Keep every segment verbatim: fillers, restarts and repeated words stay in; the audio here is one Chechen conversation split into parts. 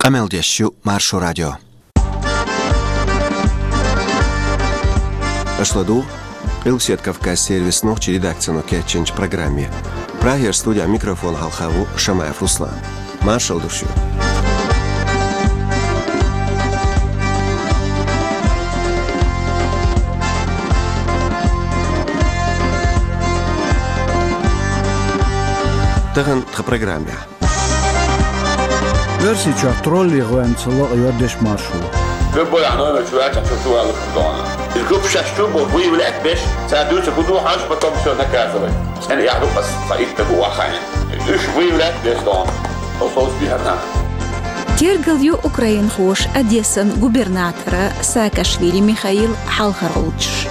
Къамел деш ю Маршо радио. Аша ладугӀу Къилбаседа Кавказ сервисан нохчийн редакцино кечйинчу программе. Прагера студехь микрофон хьалха ву Шамаев Руслан. Маршалла ду шуьга. Тахана тхан программехь. Оьрсийчохь троллий гӀоьнца лакъайо дешмаршо. Любой номер чу ваьлча, чу, чу валуш дона. Из группа шаьш чу бу выявлять беш, цара дуьйцур хӀун ду хьажа, потом всё наказывать. Цхьана яхь ду ас, цхьа итт бу вахана. Уьш выявлять беш дона. Оцу биарна. Тергал ю украинхоша Одессан губернатора Саакашвили Михаила хьалхара гӀулчаш.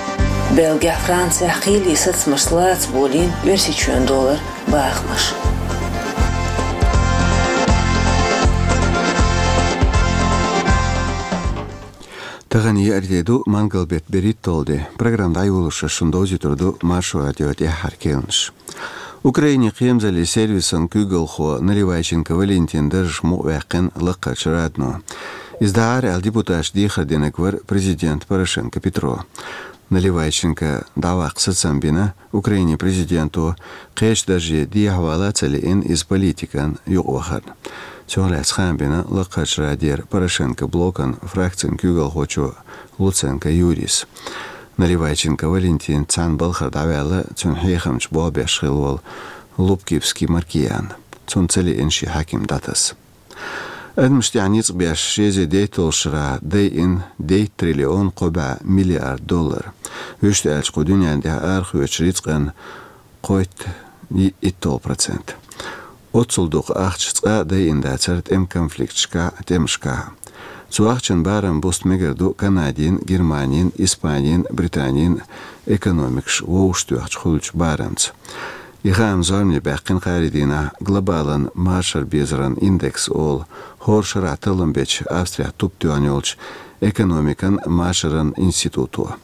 Бельгехь, Францехь кхеле сацамаш лаца болийна Оьрсийчоьнан долара бахамаш. Тахана еарде ду, мангал беттан берхӀитталгӀа де. Программа дӀайолош шуна довзуьйтур ду Маршо радион тӀаьххьара кхаьънаш. Украинин кхерамзаллин сервисан куьйгалхо Наливайченко Валентинан даржах мукъаваьккхина Лакхарчу Радано. Иза дӀахьара аьлла депутаташа дехар динарг вара президент Порошенко Петро. Наливайченкос дӀаваккха сацам бина Украинин президенто, кхечу дарже дехьавала а ца лиъна, иза политикан юкъавахарна. Цунах лаьцна хаам бина Лакхарчу Радера Порошенко блокан фракцин куьйгалхочо Луценко Юрийс. Наливайченко Валентин цхьана балхара дӀаваьлла, цуьнан хьехамча болх беш хилла волу Лубкибский Маркиан. Цунна ца лиъна шен хьаькам дӀатаса. Адамашна тӀехь ницкъ беш, ши эзар дейтталгӀачу шарахь дайина дейтта триллион кхо бӀе миллиард доллар. Вуьшта аьлча, кху дуьненна тӀехь арахоьцучу рицкъан кхойтта итталгӀа процент. Оццул дукха ахча цкъа а дайина дацара тӀеман конфликташкахь а, тӀемашкахь а. Цу ахчанан барам буста мегар ду Канадин, Германин, Испанин, Британин экономикаш вовшахтоьхча хуьлучу барамца. И хаам зорбане баьккхина кхаарин дийнахь глобалан машаран безаран индекс олу, хӀора шарахь таллам бечу Австрехь туп тоьхна йолчу экономикан машаран институто.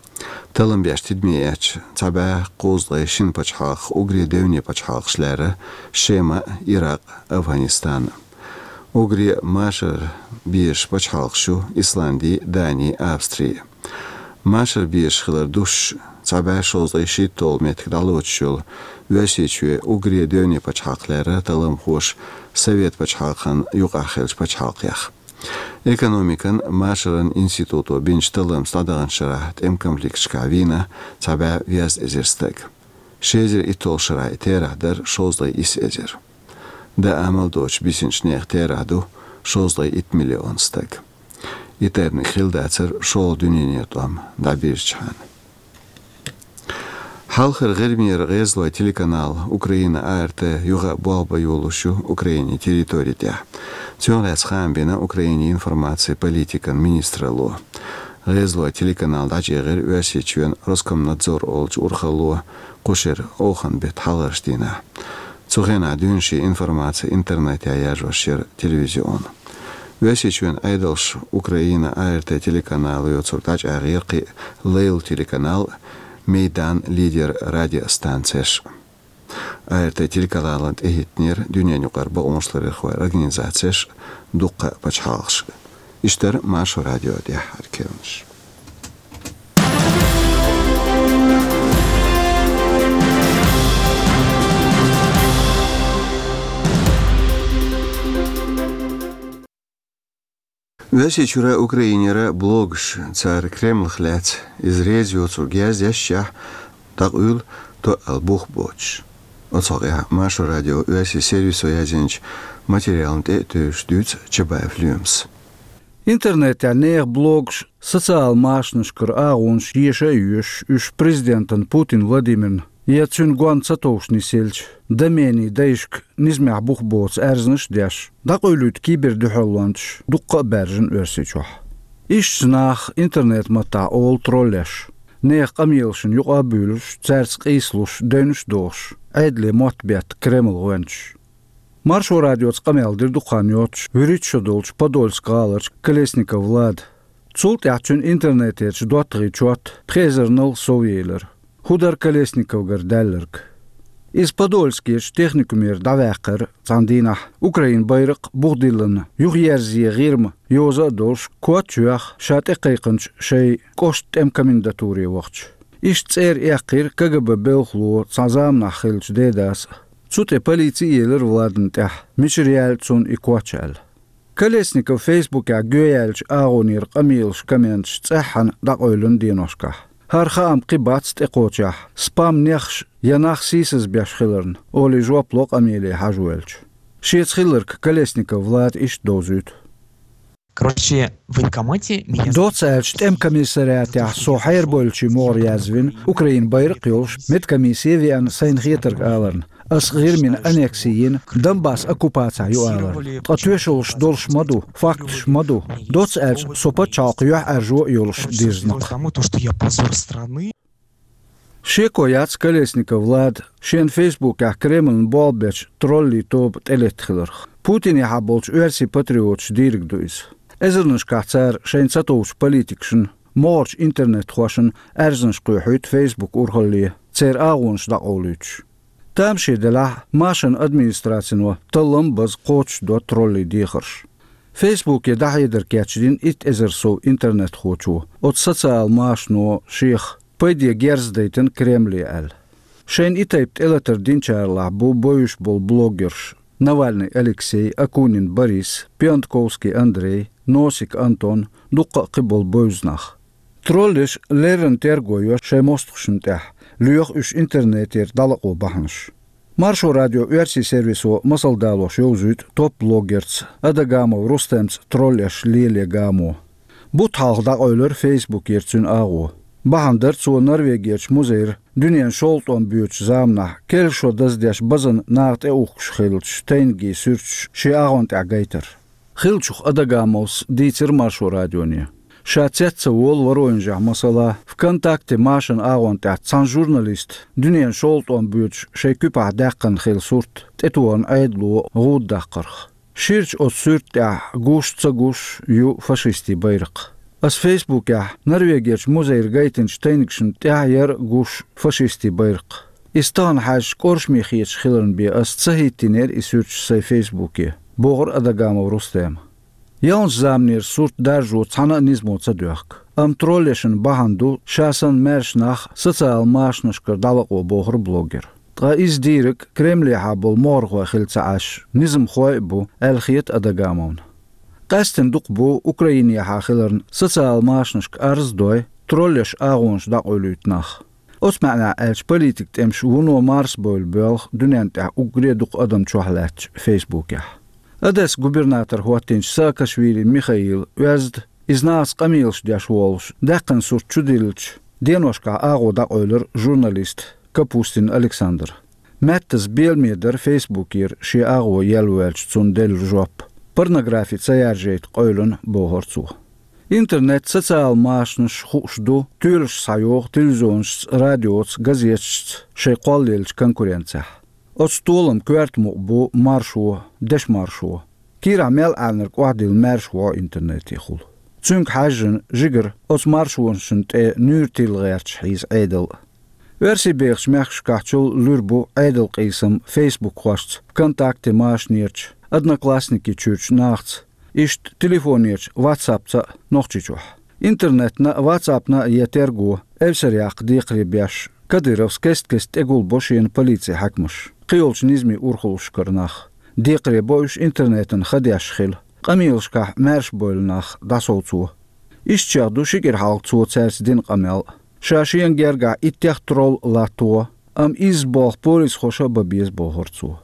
Таллам беш тидаме эцча, цхьа бӀе кхузткъе шина пачхьалкхах уггаре девне пачхьалкхаш лаьрра: Шема, Иракъ, Афганистан. Уггаре машар безаш пачхьалкхаш ю Исланди, Дани, Австри. Машар безаш хилар дуссуш, цхьа бӀе шовзткъе шийтталгӀа меттиг дӀалоцуш йолу Оьрсийчоь уггаре девне пачхьалкх лаьрра талламхоша Совет пачхьалкхан юкъахь хиллачу пачхьалкхех. Экономикан машаран институто бинчу талламца дӀадаханчу шарахь тӀеман конфликташкахь вийна цхьа бӀе везткъа эзар стаг. Ши эзар итталгӀачу шарахь и терахь дара шовзткъе исс эзар. Дан амал доцуш бисинчу нехан терахь ду шовзткъе итт миллион стаг. И тайпаниг хилла дацара шолгӀа дуьненан тӀом дӀабирзичхьана. Хьалхара ГӀирмера гӀезалойн телеканал Украина А Р Т юха а болх бан йолуш ю Украинин территори тӀехь. Цунах лаьцна хаам бина Украинин информацин политикан министралло. ГӀезалойн телеканал дӀачӀагӀира Оьрсийчоьнан Роскомнадзор олучу урхалло кху шеран оханан беттан хьалхарчу дийнахь. Цу хенахь дуьйна шен информаци интернетехь яржош яра телевизион. Оьрсийчоьнан Ӏедалша Украина А Р Т телеканало йоцург дӀачӀагӀъяра кхин а лайла телеканал, Майдан, Лидер радиостанцеш. А Р Т телеканална тӀехӀиттинера дуьненаюкъара бакъонашларъярхойн организацеш, дуккха а пачхьалкхаш. Иштта дара Маршо радион тӀаьххьара кхаьънаш. Оьрсийчуьра, Украинера блогаш, цара Кремлах лаьцна иза реза йоцург яздешшехь, дӀакъуьйла тоъал бух боцуш. Оцу хьокъехь Маршо радион оьрсийн сервисо язйинчу материална тӀе а тевжаш дуьйцу Чабаев Лоьмас. Интернетехь нехан блогаш, социал машанашкара агӀонаш еша а йоьшуш, уьш президентана Путин Владимирна я цуьнан гонна ца товш нисъеллачу доменийн дайшка низамехь бух боцу аьрзнаш а деш, дӀакъуьйлуьйту кибердуьхьалончаш дуккха а баьржина Оьрсийчохь. Ишттачу наха интернет-маттахь олу троллеш, нехан къамелашна юкъа а буьйлуш, цаьрца къийсалуш, девнаш а дохуш, Ӏедале мотт бетта Кремлан гӀоьнчаш. Маршо радиоца къамел дира дукха хан йоццуш вуьрхӀитта шо долчу Подольск гӀаларчу Колесников Влада. Цул тӀаьхьа цуьнан интернетерчу доттагӀийн чот пхи эзарнал совъелира. ХӀун дара Колесниковгара даьлларг? Иза Подольскерчу техникумера дӀаваьккхира цхьана дийнахь, Украин байракх бухдиллина, юхаерзае гӀирма йоза а долуш, коч а йоьхна, ша тӀекхайкхинчу шайн кӀоштан тӀеман комендатуре вахча. Иштта цӀера эккхийра КГБ белхало цхьана заманахь хиллачу Дедас а. Цу тӀе полици а елира Владана тӀехь, мичара яьлла цунна и коч аьлла. Колесников Фейсбукехь гӀоьяьллачу агӀонера къамелаш, комменташ цӀеххьана дӀакъевлина деношкахь. ХӀара хаам кхин бац тӀекхочехь, спам-нехаш я нах сийсазбеш хиларна, олий жоп ло къамеле хьажавоьллачо. Шеца хилларг Колесников Влада иштта довзуьйту. Короче, в военкомате меня... Доцца аьлча, тӀеман комиссариатехь со хьерабевллачийн могӀаре язвина, Украин байракх йолуш, медкомиссе а веана, сайна хетарг аларна. Ас ГӀирмина аннекси йина, Донбасс оккупацехь ю аларна. Ткъа тоьшаллаш долуш ма ду, факташ ма ду. Доцца аьлча, со пачхьалкх юьхьӀаьржо а йолуш дирзина-кх. Потому то, что я позор страны. Шеко яц Колесников Влада шен Фейсбукехь Кремлна болх бечу троллий тоба тӀелетта хиларх. Путинехьа болчу оьрсийн патриоташа дийриг ду иза. Эзарнашкахь цара шайна ца товчу политикашна, могӀарчу интернет-хошна аьрзнаш кхоьхьуьйту Фейсбук урхалле, церан агӀонаш дӀакъовлуьйтуш. Тамаше делахь, машанан администрацино таллам а база кхочушдо троллий дехарш. Фейсбуке дӀахьедар кечдина итт эзар сов интернетхочо, оцу социал машано шех пайде герз дайтина Кремле аьлла. Шайна и тайпа тӀелатар динчаралахь бу бевзаш болу блогерш: Навальный Алексей, Акунин Борис, Пионтковский Андрей, Носик Антон, дуккха а кхин болу бевза нах. Троллеш леррина терго йо шайн мостагӀашна тӀехь, лоьху уьш интернетера дӀалакъо бахьанаш. Маршо радион оьрсийн сервисо масал далош йовзуьйту топ-блогерца Адагамов Рустемца троллеш леле гамо. Бутт хьалха дӀакъевлира Фейсбукера цуьнан агӀо. Бахьана дара цо Норвегерчу музейра дуьненан шовзткъа тӀом боьдучу заманахь керла шо даздеш базана наха тӀеухкуш хиллачу тайниган суьрташ шен агӀон тӀехь гайтар. Хиллачух Адагамовс дийцира Маршо радионе. Ша цец ца волу Воронежехь, масала, ВКонтакте машанан агӀон тӀехь цхьана журналиста дуьненан шовзткъа тӀом боьдуш шайн куьпахь даьккхина хилла сурт тӀетохарна Ӏедало гӀуда даккхарх. Ширачу оцу суьрта тӀехь гуш а, ца гуш а ю фашистийн байракх. Ас Фейсбукехь Норвегерчу музейра гайтинчу тайнигашна тӀехь яра гуш фашистийн байракх. Иза тахана хьаьжча, кӀоршаме хеташ хиларна бен ас ца хӀиттийнера и суьрташ сайн Фейсбуке, бохура Адагамов Рустема. Ялханчу заманера сурт даржо цхьана а низамо ца доьхку, амма троллешна бахьана ду ша санна маьрша нах социал машанашкара дӀалакъо, бохура блогера. Ткъа иза дийриг Кремлехьа болу могӀархой хилла ца Ӏаш, низамхой а бу, аьлла хета Адагамовна. Къаьсттина дукха бу Украинехьа хиларна социал машанашка арз а дой, троллеш агӀонаш дӀакъовлуьйту нах. Оцу маьӀнехь аьлча, политикан тӀемаш вуно марсабевлла боьлху дуьненна тӀехь уггаре а дукха адам чохь лаьттачу Фейсбукехь. Одессан губернатор хӀоттийначу Саакашвили Михаила оьзда, иза нахаца къамелаш деш волуш, даьккхина сурт чудиллича, деношкахь агӀо дӀакъевлира журналиста Капустин Александра. Меттаза беламе дара Фейсбукера шен агӀо елла воьлча цунна делла жоп. Порнографи ца яржайта къевлина, бохура цо. Интернет, социал машанаш хууш ду, тоьлаш схьайогӀу телевизионашца, радиоца, газеташца шайн кхоллаеллачу конкуренцехь. Оцу толаман коьрта мукъа бу маршо, дешмаршо. Кийрахь мел Ӏаьрнарг охьадилла маьрша вогӀу интернетехула. Цуьнга хьаьжжина, жигара оцу маршонашна тӀе нуьйр тилла гӀерташ хьийза Ӏедал а. Оьрсийбехачу мехкашкахьчул луьра бу Ӏедалан къийсам фейсбукхошца, ВКонтакте машанерчу, Одноклассники чуьрчу нахаца, иштта телефонерчу, ватсапца а Нохчийчохь. Интернетна а, ватсапна а ян терго, эвсара яккха декхаре беш, Кадыровс кест-кеста тӀегулбо шена полицин хьаькамаш, кхийолчу низамийн урхаллашкара нах. Декхаре бо уьш интернетан ха деш хила, къамелашкахь маьрша бевлла нах дӀасовцо. Иштта чех ду ши кӀира хьалха цо цаьрца дина къамел. Ша шена гергахь иттех тролл латтаво, амма изза болх полисхоша а бан беза, бохура цо.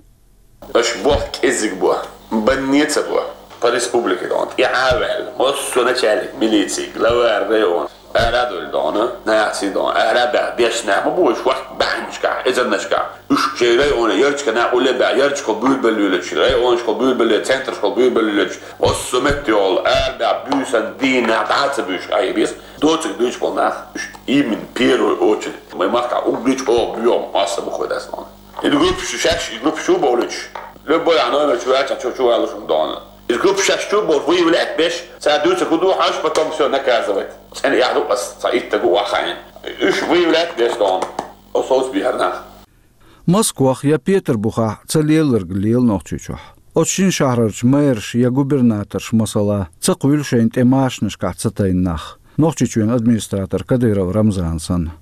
Аша болх кӀеззиг бо, банне а ца бо. По республике дона тӀаьхьа а ваьлла, массо а начальник милиции, глава района, ара а довлу дона, нахаца дона, ара а баьхна, дешна нах ма бу уьш, ваьхна баьхначохь, эзарнашкахь. Уьш шайн районе ярташкахь нах улле а баьхна, ярташкахула буьйрабелла лелачу, районашкахула буьйрабелла, центрашкахула буьйрабелла лелачу, массо а метте йолу, ара а баьхна, буьйсанна, дийнахь, дӀа а ца буьйшуш, Ӏе беза. Доцург дуьйцуш болу нах, уьш именно первую очередь. Вайн махкахь уггар чӀогӀа боьха массо а бу хӀара дас дона. Иза группаш шаьш, иза группаш чу а бовлуьйтуш, любой а номер чу ваьлча, чу, чу валуш хӀума дона. Иза группаш шаьш чу а бовлуш, выявлять беш, цара дуьйцург хӀун ду хьожуш, потом всё наказывать. ЦӀена эхь ду ас, цхьа итт стаг ву охьахаийна. Уьш выявлять беш дона. Оцу совцабехьара нах. Москвахь я Петарбухахь ца лелларг лела Нохчийчохь. Оцу шина шахьарарчу мэраш я губернаторш, масала, ца кхуьйлу шайна тӀе машинашкахь ца тайна нах. Нохчийчоьнан администратор Кадыров Рамзан санна.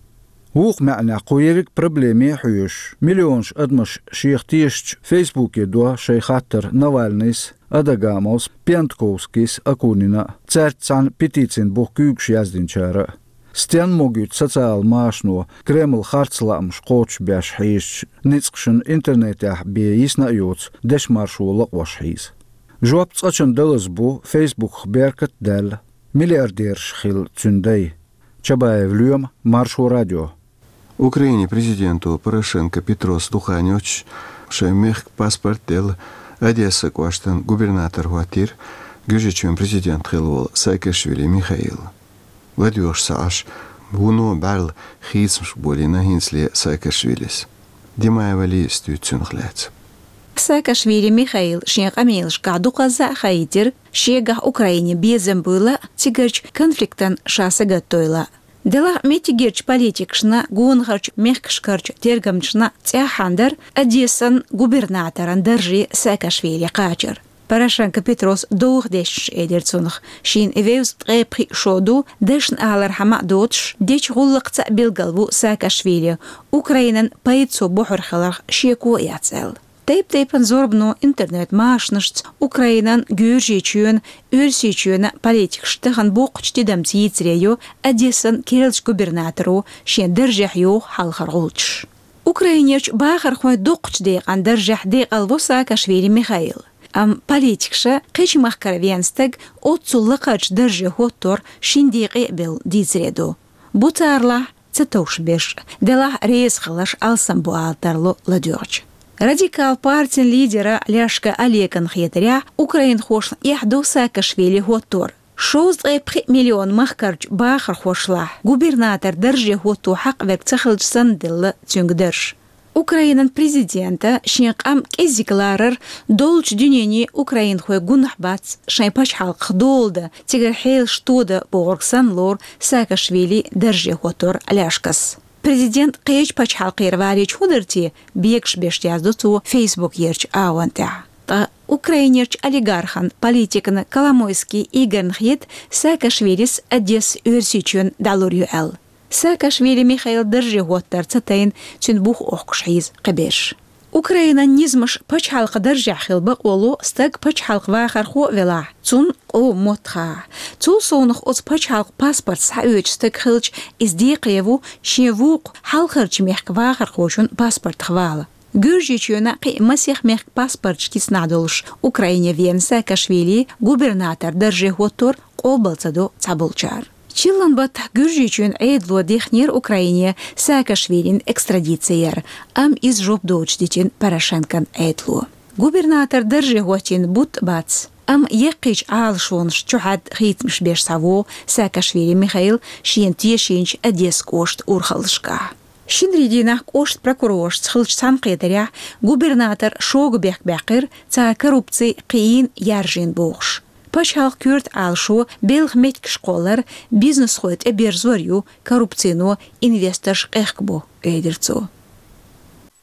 Вукху маьӀнехь кху ерриг проблеме а хьоьжуш, миллионаш адамаш шех тешачу Фейсбуке до шайн хаттар Навальныйс, Адагамовс, Пиантковскийс, Акунина, цаьрца цхьаьна петицин бух куьйгаш яздинчара. Стенна могуьйту социал машано Кремль харц лаамаш кхочушбеш хьийзачу ницкъашна интернетехь бен йисна а йоцу дешан маршо лакъош хьийза? Жоп цкъачунна далаза бу, Фейсбуках беркат а даьлла, миллиардераш хилла цуьнан дай. Чабаев Лоьма, Маршо радио. Украинин президенто Порошенко Петрос дукха йоццуш шайн мехкан паспорт делла Одессан кӀоштан губернатор хӀоттийра Гуьржийчоьнан президент хилла волу Саакашвили Михаил. ЛадоьгӀуш ца Ӏаш, вуно бӀаьрла хийцамаш болийна хӀинцале Саакашвилис. Димаева Лизас дуьйцу цунах лаьцна. Саакашвили Михаила шен къамелашкахь дукхазза а хаийтира, шегахь Украине безам буйла а, цигарчу конфликтан ша сагатдойла а. Делахь меттигерчу политикашна, гонахарчу мехкашкарчу тергамчашна цӀеххьана дара Одессан губернаторан дарже Саакашвили кхачар. Порошенко Петрос довха дешнаш элира цунах, шена вевза ткъе пхиъ шо ду, дашна алархьама а доцуш, дечу гӀуллакхца а билгал ву Саакашвили, Украинан пайда цо бохур хиларх шеко а яц аьлла. Тайп-тайпана зорбано интернет-машанашца Украинан, Гуьржийчоьнан, Оьрсийчоьнан политикаш тахана боккхачу тидамца йийцаре йо Одессан керлачу губернаторо шен даржехь йоху хьалхара гӀулчаш. Украинерчу бахархойн дукхачу декъан даржехь декъалво Саакашвили Михаил. Амма политикаша кхечу махкара вен стаг оццул лакхарчу дарже хӀоттор шина декъе а бевлла дийцаре ду. Бу царалахь ца товш берш, делахь реза хиларш алсам бу ала тарло ладоьгӀча. Радикал партин лидера Ляшка Олеган хетарехь, украинхошна эхь ду Саакашвили хӀоттор. Шовзткъе пхиъ миллион махкарчу бахархошлахь губернатор дарже хӀотто хьакъ верг ца хилча санна делла цуьнга дарж. Украинан президента шен къам кӀеззиг ларар доллучу дуьнене украинхой гунахь бац, шайн пачхьалкхах дола дан, цигара хьелаш тодан бохург санна лору Саакашвили дарже хӀоттор Ляшкас. Президент кхечу пачхьалкхера валийча хӀун дара те, бегаш беш яздо цо Фейсбук ерчу агӀон тӀехь. Ткъа Украинерчу олигархан, политикана Коломойский Игорьна хета Саакашвилис Одесса Оьрсийчоьнна дӀалур ю аьлла. Саакашвили Михаил дарже хӀоттар ца тайна цуьнан бух охкуш хьийза кхиберш. Украинан низамаш пачхьалкхан даржехь хила бакъо ло стаг пачхьалкхан вахархо а велахь, цунна къоман мотт хаа. Цул совнах оцу пачхьалкхан паспорт схьаоьцуш стаг хилча, иза декхаре ву шен вукху хьалхарчу мехкан вахархочун паспортах вала. Гуьржийчоьнан кхин а масех мехкан паспорташ кицнахь долуш Украине веана Саакашвили губернатор дарже хӀоттор къобал ца до цхьаболчара. Чиллан баттахь Гуьржийчоьнан Ӏедало дихнера Украине Саакашвилин экстрадици яр, амма иза жоп доцуш дитина Порошенкон Ӏедало. Губернатор дарже хӀоттийна бутт а бац, амма яккхийчу Ӏалашонаш чухьаьдда хийцамаш беш схьавогӀу Саакашвили Михаил шена тешийначу Одесса кӀоштан урхаллашкахь. Шинарин дийнахь кӀоштан прокуроршца хиллачу цхьаьнакхетарехь губернатор шога бехк баьккхира, цара коррупци кхиийна, яржийна бохуш. Пачхьалкхан коьрта Ӏалашо белхан меттигаш кхоллар, бизнесхой тӀеберзор ю, коррупцино инвесторш къехкабо, элира цо.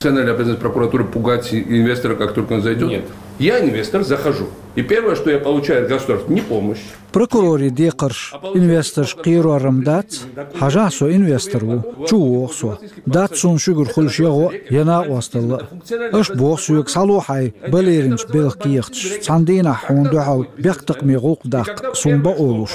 Национальная обязанность прокуратуры пугать инвестора, как только он зайдёт. Нет. Я инвестор, захожу. И первое, что я получаю от государства, не помощь. Прокурорийн декхарш инвесторш кхерор-м дац, хьажахь, со инвестор ву, чу вогӀу со. Дац суна шуьгара хуьлуш я гӀо, я накъосталла. Аша боху соьга: схьало хьайн балеринчу белхан кехаташ, цхьана дийнахь хьуна дуьхьал бехктакхаме гӀуллакх даккха суна бакъо луш.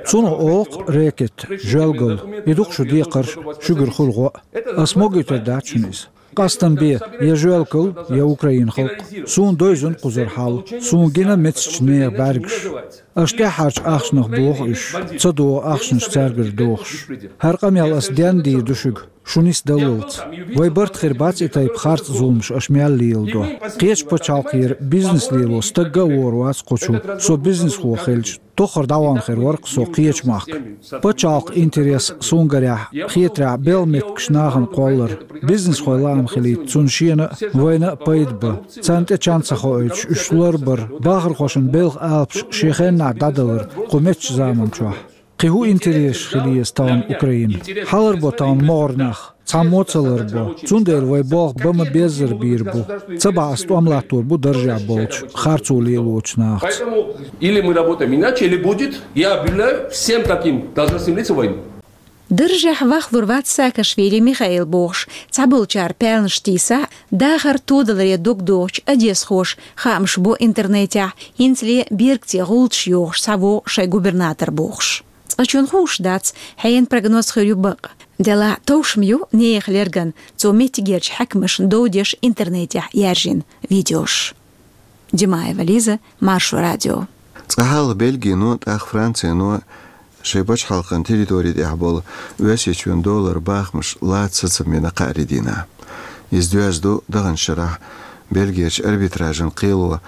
Цунах олу-кх рэкет, жоьлгалла, и ду-кх шун декхарш, шуьгара хуьлу гӀо. Ас могуьйтур дац шуна иза. Къастам бе, я жоьлгалла, я Украинан халкъ. Суна девзина кхузара хьал, суна гина меттигерчу нехан бӀаьргаш. Аша тӀаьххьарчу ахчанах боху уьш, ца догӀу ахчанаш цаьргара дохуш. ХӀара къамел ас денна дийр ду шуьга, шу нисдаллалц. Вайн барт хир бац и тайпа харц зуламаш аша мел леладо. Кхечу пачхьалкхера бизнес лело стагга а вогӀур вац кху чу, со бизнесхо хилча, тоххара дӀавахана хир вара-кх со кхечу махка. Пачхьалкхан интерес суна гарехь, хетарехь, белхан меттигаш нахана кхоллар, бизнесхойн лаам хилийта цунна шена а, вайна а пайда бан. Царна тӀе чан ца хоуьйтуш, уьш ларбар, бахархошна белхан алапаш шен хеннахь дӀадалар кху меттачу заманчохь. Кхин хӀун интересаш хила еза тахана Украина? Хьаларбо тахана могӀара нах, цхьаммо а ца ларбо. Цундела вай болх бан ма беззара бийр бу. Цу бахьан тӀом латтор бу даржехь болчу, харцо лелочу нахаца. Поэтому или мы работаем иначе, или будет, я объявляю всем таким должностным лицам войну. Даржехь вахлур вац Саакашвили Михаил бохуш, цхьаболчара паьлнаш тийсахь, дахар тодаларе дог дохучу одесхоша хаамаш бо интернетехь, хӀинцале бергаций гӀулчаш йохуш схьавогӀу шайн губернатор бохуш. Цкъачунна хууш дац, хьенан прогноз хир ю бакъ. Делахь товш ма ю нехан лерган, цо меттигерчу хьаькамашна дов деш интернетехь яьржина видеош. Димаева Лиза, Маршо радио. Цкъа хьалха Бельгино, тӀаккха Францино шайн пачхьалкхан территори тӀехь болу Оьрсийчоьнан доллар бахамаш лаца сацам бина кхаарин дийнахь. Иза доьзна ду даханчу шарахь Бельгерчу арбитражан кхело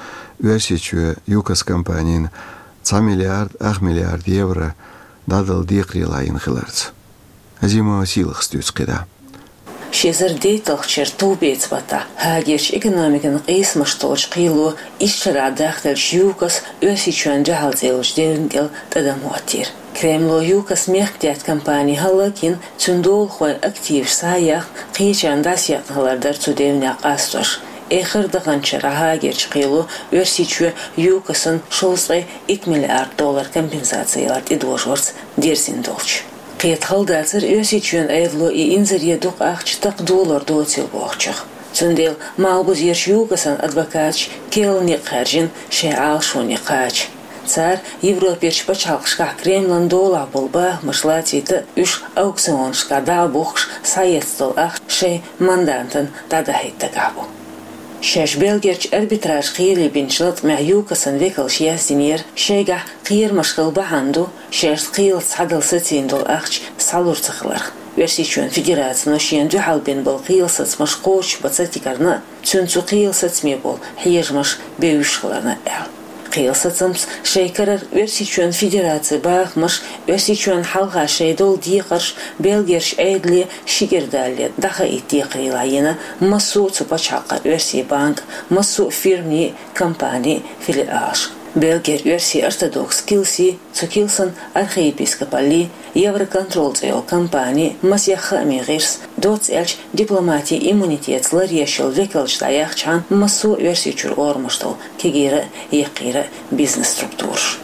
Оьрсийчоь ЮКОС компанина цхьа миллиард ах миллиард евро дӀадала декхарийлахь йина хиларца. Азимова Сийлахьас дуьйцу кхидӀа. Ши эзар дейтталгӀачу шеран товбеца баттахь Гаагерчу экономикан къийсамаш толчу кхело исс шарахь дахделлачу ЮКОС Оьрсийчоьнна дуьхьал цӀе йолчу девнна кӀел тӀадам хӀоттийра. Кремло ЮКОС мехкдаьтта компани хӀаллакйина, цуьнан долахойн активаш схьа а яьхна, кхечарна дӀасаекъна хилар дара цу девнех къастош. Эххар а даханчу шарахь Гаагерчу кхело Оьрсийчоь ЮКОСан шовзткъе итт миллиард доллар компенсаци ялар тӀедожорца дерзийна долчу. Кхета хала дацара Оьрсийчоьнан Ӏедало и инзаре дукха ахча такха долор доцийла бохучух. Цундела Малхбузерчу ЮКОСан адвокаташа керла некъ хаьржина шайн Ӏалашоне кхача. Цара Европерчу пачхьалкхашкахь Кремлан долахь болу бахамаш лацийта, уьш аукционашкахь дӀа а бухкуш, схьаэцна долу ахча шайн мандантана дӀадахьийта дагахь бу. Шаьш Бельгерчу арбитраж кхеле бинчу латкъамехь ЮКОСан векалша яздинера, шайгахь кхерамаш хила бахьана ду, шаьш кхелаца схьадала сацийна долу ахча схьалур ца хиларх. Оьрсийчоьнан Федерацино шена дуьхьал бина болу кхелан сацамаш кхочушбан ца тигарна, цуьнан цу кхелан сацаме болу хьежамаш бевзаш хиларна аьлла. Кхелан сацамца шайн карара Оьрсийчоьнан Федерацин бахамаш, Оьрсийчоьнна хьалха шайн долу декхарш Бельгерчу Ӏедале ши кӀира далале дӀахаийта декхарийлахь йина массо а цу пачхьалкхан оьрсийн банкан, массо а фирмийн, компанийн филиалаш. Бельгерчу оьрсийн ортодокс килси, цу килсан архиепископалли, Евроконтрол цӀе йолу компани, масех хаамийн гӀирс, доцца аьлча дипломатин иммунитетаца ларъеш йолу векалш дӀаяхчахьана массо а Оьрсийчуьра орамаш долу кегийра а, яккхийра а бизнес-структураш.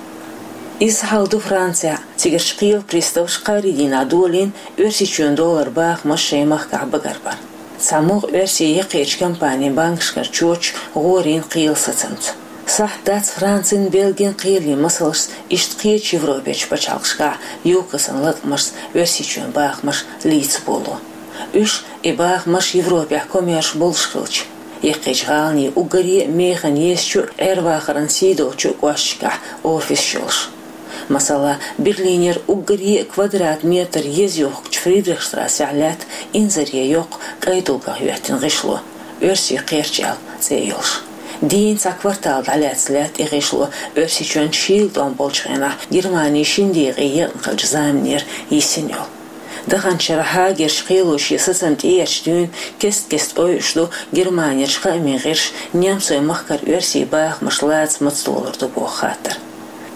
Иза хьал ду Францехь, цигарчу кхелан приставаша кхаарин дийнахь долийна Оьрсийчоьнан доллар бахамаш шайн махкахь багарбар. Цхьа могӀа оьрсийн яккхийчу компанийн банкашкара чоьташ гӀорийна кхелан сацамца. Сахьт дац Францин, Бельгин кхеле масалшца иштта кхечу Европерчу пачхьалкхашкахь ЮКОСан латкъамашца Оьрсийчоьнан бахамаш лийца болу. Уьш, и бахамаш, Европехь комерш болуш хилча, яккхийчу гӀаланийн уггаре а механа езачу а, Ӏер-вахаран сий долчу а кӀошташкахь офисаш йолуш. Масала, Берлинера уггаре а квадрат метр еза йохкучу Фридрихштрассехь лаьтта инзаре йоккха кӀайн дулгах хӀоьттина гӀишло, «Оьрсийн кхерч» аьлла цӀе йолуш. Дийна цхьа квартал дӀалаьцна лаьтта и гӀишло Оьрсийчоьнан шийла тӀом болчу хенахь Германин шина декъе екъна хиллачу заманера йисина йолу. Даханчу шарахь Гаагерчу кхело шен сацам тӀеэцначу дуьйна кест-кеста ойуш ду Германерчу хаамийн гӀирсаша немцойн махкара оьрсийн бахамаш лаца маца долур ду боху хаттар.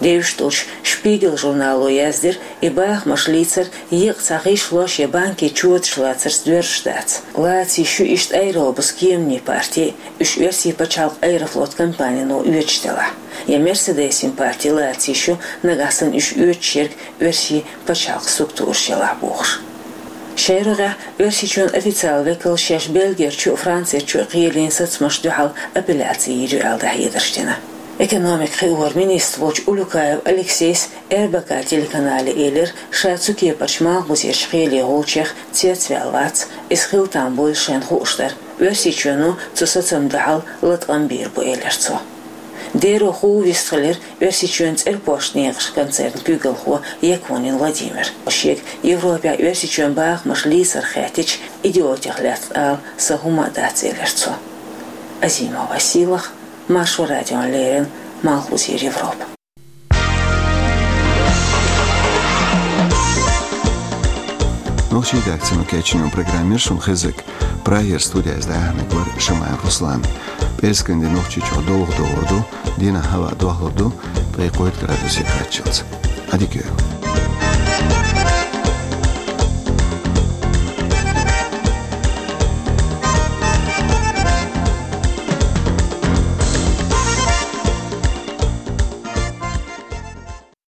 Девзаш долчу «Шпигель» журнало яздира, и бахамаш лийцар еккъа цхьа гӀишло шен банкийн чоьташ лацарца доьрзуш дац. Лацийш ю иштта «Аэробус» кеманийн парти, уьш оьрсийн пачхьалкхан «Аэрофлот» компанино оьцуш делахь. Я «Мерседесин» парти лацийш ю, нагахь санна уьш оьцуш ерг оьрсийн пачхьалкхан структураш елахь бохуш. Шайн рогӀехь Оьрсийчоьнан официалан векалш шаьш Бельгерчу а, Францерчу а кхелина сацамашна дуьхьал апелляци йийр ю аьлла дӀахьедарш дина. Экономикан хиоран министр волчу Улюкаев Алексейс РБК телеканале элира, ша цу кепарчу Малхбузерчу кхеле гӀулчех цецваьлла вац, иза хила там буйла шайна хууш дара. Оьрсийчоьно цу сацамна дуьхьал латкъам бийр бу, элира цо. Дера хӀу вистхилира Оьрсийчоьнан цӀерпошт некъаш концернан куьйгалхо Якунин Владимир. Шега Европехь Оьрсийчоьнан бахамаш лийцар хаьттича, идиотех лаьцна ала сан хӀума а дац, элира цо. Азимова Сийлахь, Маршо радиона леррина, Малхбузера Европа. Нохчийн редакцино кечйина программа яра шуна хезнарг. Прагера студиехь дӀаяьхьнарг вара Шамаев Руслан. ПӀераскан де Нохчийчохь довха догӀур ду, дийнахь хӀаваъ дохлур ду, ткъе кхойтта градусе кхаччалц. Ӏадика йойла.